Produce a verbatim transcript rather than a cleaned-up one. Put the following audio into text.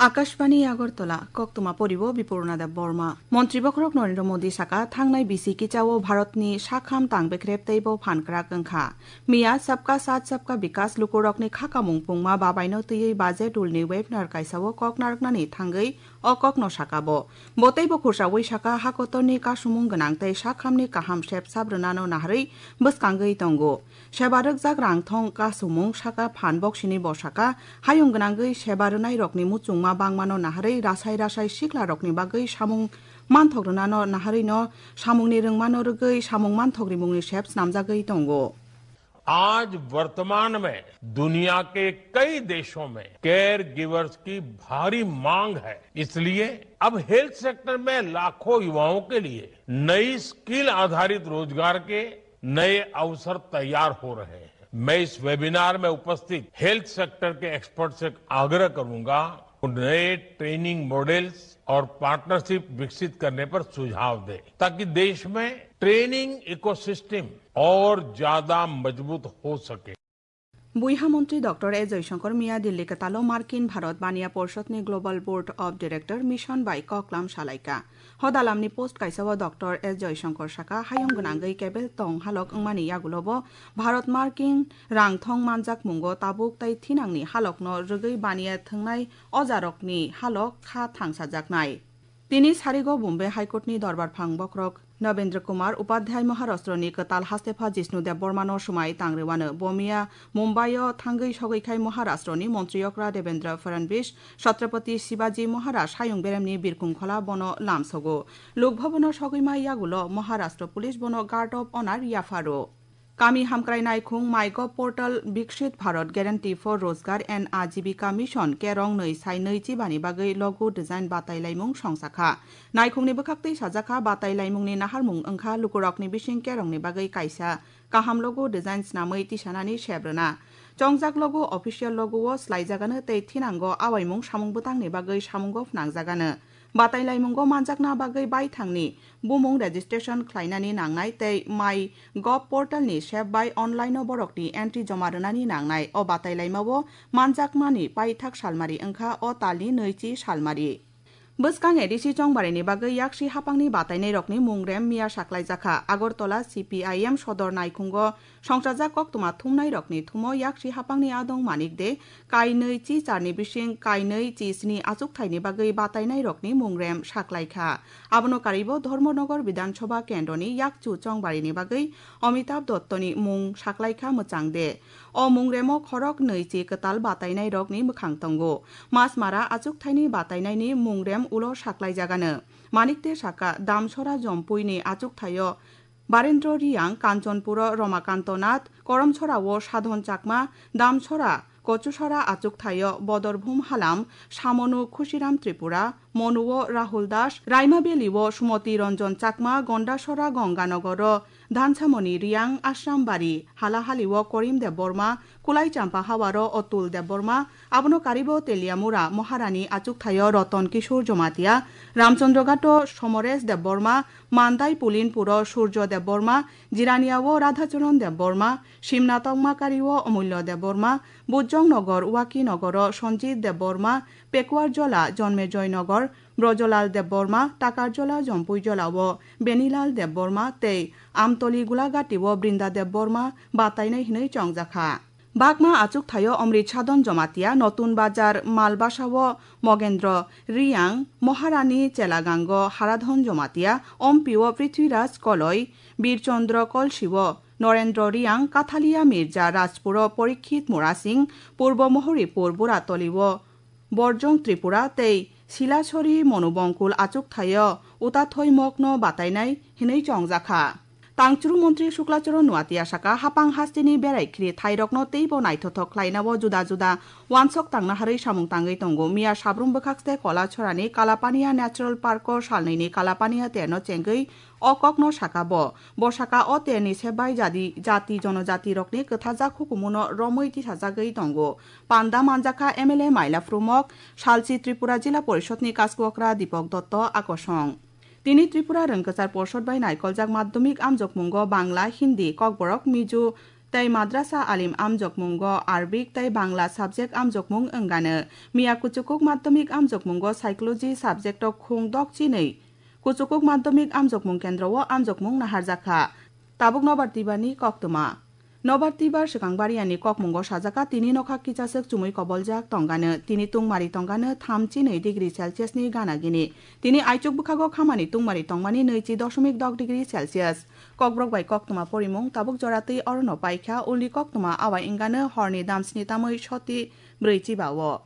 Akashbani Agartala, koktwma poribo Bipurna Deb Borma. Montri bokhorok Narendra Modi saka, thangnai bisi kichao Bharatni sakham tang bekrep teibo phan kwrak wngkha. Miya Sabka Saath Sabka Vikas lukurokni khakamung pungma babaino twiwi budget rulni webinar kaisao kok narwknani thangwi o kokno saka bo. Bo teibo khursawi saka, hakotorni kasumung gwnang tei sakhamni kaham sep sap rwnano naharwi bwskangwi tongo. Seba rwkjak rang thong kasumung saka phan boksini bo saka, hayung gwnangwi seba rwnairokni muchungma bangmano naharwi rasai rasai siklarokni bagwi samung manthok rwnano naharwino samungni rwngmano rwgwi samung manthok rimungni sep snamjagwi tongo. आज वर्तमान में दुनिया के कई देशों में care givers की भारी मांग है, इसलिए अब हेल्थ सेक्टर में लाखों युवाओं के लिए नई स्किल आधारित रोजगार के नए अवसर तैयार हो रहे हैं। मैं इस वेबिनार में उपस्थित हेल्थ सेक्टर के एक्सपर्ट से आग्रह करूंगा, वो नए ट्रेनिंग मॉडल्स और पार्टनरशिप विकसित करने पर सुझाव दें, ताकि देश में ट्रेनिंग इकोसिस्टम और ज्यादा मजबूत हो सके। Buiha montri Doctor S Jaishankar miya Delhi kwtalo Markin Bharat Baniya Porshadni Global Board of Director Mission bai koklam salaikha. Hodalamni post kaisao Doctor S Jaishankar saka, hayung gwnangwi kebel tong halok wngmani yagulobo Bharat Markin rang thong manjakmungo tabuk tei thinangni halokno rwgwi baniya thwngnai ojarokni halok kha thangsajaknai. Tini sarigo Bombay High Court ni dorbar phang bokhorok Nabendra Kumar Upadhyay Maharashtra ni kwtal hastepha Jishnu Debbarma no swmai tangriwano. Bomiya Mumbai o thangwi sogwi khai Maharashtra ni montri okra Devendra Fadnavis, Chhatrapati Shivaji Maharaj hayung beremni birkung khola bono lamsogo. Lok Bhavan o sogwi mai yagulo Maharashtra Police bono Guard of Honor yapharo. Kami hamkrai naikhung MyGov portal Viksit Bharat Guarantee for Rozgar and Ajibika Mission kerong nwi sai nwi chibani bagwi logo design batai laimung songsa kha. Naikhungni bwkhaktwi sajak kha, batai laimungni naharmung wngkha lukurokni bising kerongni bagwi kaisa kaham logo design snamwi tisanani sep rwna. Chongjak logo official logo o swlaijagano tei thinango awaimung samung bwtangni bagwi samungo phnangjagano. Batai laimungo manjakna bagwi baithangni bumung registration khlainani nangnai tei MyGov portal ni sep bai online o borokni entry joma rwnani nangnai. O batai laimao manjakmani paithak salmari wngkha o talni nwichi salmari. Bwskang A D C chongbarini bagwi yaksi hapangni batainairokni mungrem miya saklaijakha. Agartala C P I M sodor naikhungo songchajak koktwma thumnairokni thumo yaksi hapangni adong Manik De kainwi chi charni bising kainwi chi sni achukthaini bagwi batainairokni mungrem saklaikha. Abono karibo Dharmanagar Bidhan Sabha kendroni yakchu chongbarini bagwi Amitabh Dattoni mung saklaikha Mwchang De. O mungremo khorok nwi chi kwtal batainairokni mwkhang tongo. Masmara achukthaini batainaini mungrem ulo saklaijagano. Manik De saka, Damsora Jompuini achukthaio Barendra Riang, Kanchanpuro Ramakanto Nath, Koramchorao Sadhon Chakma, Damsora, Kochusora achukthaio Bodor Bhum Halam, Samonu Khushiram Tripura, Monuo Rahul Das, Raima Valley-o Sumoti Ranjan Chakma, Gondasora Ganganagaro Dhansamoni Riang, Ashram Bari Halahali-o Korim Debbarma, Kulai Champa Hawaro Atul Debbarma, abono karibo Teliamura Maharani achukthaio Ratan Kishore Jamatia, Ramchandra Ghato Somoresh Debbarma, Mandai Pulinpuro Surjo Debbarma, Jiraniao Radhacharan Debbarma, Simna Tongmakario Amulya Debbarma, Bujong Nagar Waki Nagaro Sanjit Debbarma, Pekuar Jola Jonmejoy Nagar Brojolal Debbarma, Takar Jola Jompui Jolao Benilal Debbarma tei Amtoli Gulagatio Brinda Debbarma batainai hinwi chongjakha. Bakma achukthaio Omrit Sadhon Jamatia, Notun Bazar Malbasao Mogendra Riang, Maharani Chelagango Haradhon Jamatia, Ompio Prithviraj Koloi, Birchandra Kolsio Norendra Riang, Kathalia Mirza Rajpuro Porikhit Murasing, Purbo Mohoripur Buratolio Borjong Tripura tei Silasori Monubongkul achukthaio Utathoi Mokno batainai hinwi chongjakha. Tangchuru montri Suklacharan Nuatia saka, hapang hasteni berai khiri thairokno teibo naithothok khlainao juda juda wansok tangna harwi samung tangwi tongo. Miya Sabrum bwkhakste Kolachorani Kalapania Natural Park-o salnwini Kalapania terno chengwi o kokno saka bo. Bo saka o terni sep bai jadi, jati jonojati rokni kwthajak hukumuno romwi tisajagwi tongo. Panda manjakha M L A Maila Phrumok, salchi Tripura Jila Porishadni kasku okra Dipok Dotto akosong. Tini Tripura Rwngkwchar Porshod bai naikoljak madhyamik amjokmungo Bangla, Hindi, Kokborok, Mizo, tei madrasa alim amjokmungo Arabic tei Bangla subject amjokmung wngano. Miya kuchukuk madhyamik amjokmungo psychology subject o khung dok chinwi kuchukuk madhyamik amjokmung kendro o amjokmung naharjakha. Tabuk nobar tibani koktwma. Nobar tibar swkang bariani kokmungo sajaka tini nokha kichaswk chumui koboljak tongano, tini tungmari tongano thamchi nwi degree Celsius ni gana gini. Tini aichuk bwkhago khamani tungmari tongmani nwichi doshomik dok degree Celsius. Kokborok bai koktwma porimung tabuk jora twi orono paikha, ulni koktwma awai wngano horni damsni tamwi soti brwi chiba o.